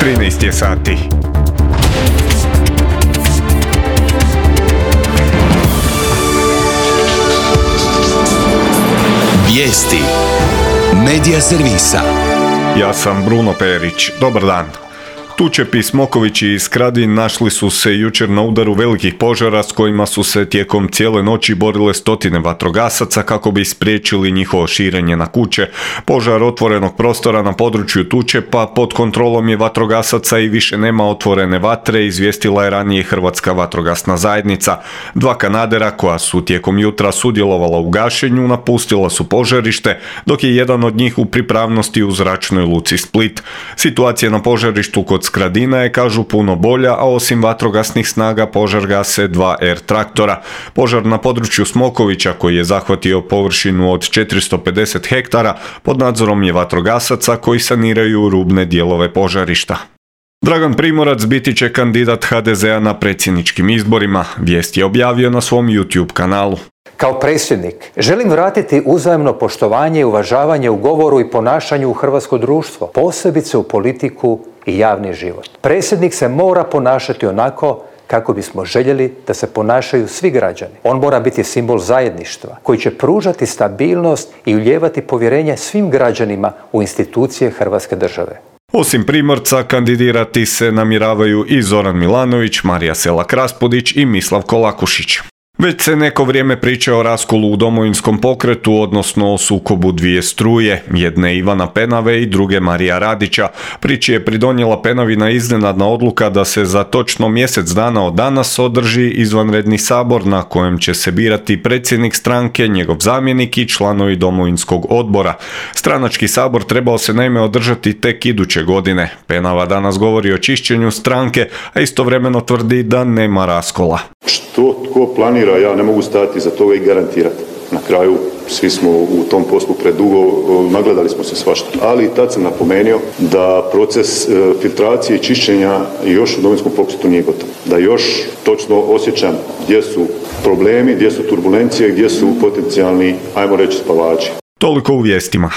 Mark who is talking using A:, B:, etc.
A: 13 je sati.
B: Vijesti Medija servisa.
A: Ja sam Bruno Perić. Dobar dan. Tučepi, smokovići i skradin našli su se jučer na udaru velikih požara s kojima su se tijekom cijele noći borile stotine vatrogasaca kako bi spriječili njihovo širenje na kuće. Požar otvorenog prostora na području Tučepa pod kontrolom je vatrogasaca i više nema otvorene vatre, izvijestila je ranije Hrvatska vatrogasna zajednica. Dva kanadera koja su tijekom jutra sudjelovala u gašenju napustila su požarište, dok je jedan od njih u pripravnosti u zračnoj luci Split. Situacija na požarištu kod Skradina je, kažu, puno bolja, a osim vatrogasnih snaga požar gase 2 R traktora. Požar na području Smokovića, koji je zahvatio površinu od 450 hektara, pod nadzorom je vatrogasaca koji saniraju rubne dijelove požarišta. Dragan Primorac biti će kandidat HDZ-a na predsjedničkim izborima, vijest je objavio na svom YouTube kanalu.
C: Kao predsjednik želim vratiti uzajamno poštovanje i uvažavanje u govoru i ponašanju u hrvatsko društvo, posebice u politiku i javni život. Predsjednik se mora ponašati onako kako bismo željeli da se ponašaju svi građani. On mora biti simbol zajedništva koji će pružati stabilnost i ulijevati povjerenje svim građanima u institucije Hrvatske države.
A: Osim Primorca, kandidirati se namjeravaju i Zoran Milanović, Marija Selak-Raspudić i Mislav Kolakušić. Već se neko vrijeme priča o raskolu u Domovinskom pokretu, odnosno o sukobu dvije struje, jedne Ivana Penave i druge Marija Radića. Priči je pridonijela Penavina iznenadna odluka da se za točno mjesec dana od danas održi izvanredni sabor na kojem će se birati predsjednik stranke, njegov zamjenik i članovi Domovinskog odbora. Stranački sabor trebao se naime održati tek iduće godine. Penava danas govori o čišćenju stranke, a istovremeno tvrdi da nema raskola.
D: Što tko planira, ja ne mogu stati za toga i garantirati. Na kraju svi smo u tom poslu predugo, nagledali smo se svašta. Ali tad sam napomenuo da proces filtracije i čišćenja još u Domovinskom pokretu nije gotov. Da još točno osjećam gdje su problemi, gdje su turbulencije, gdje su potencijalni, ajmo reći, spavači.
A: Toliko u vijestima.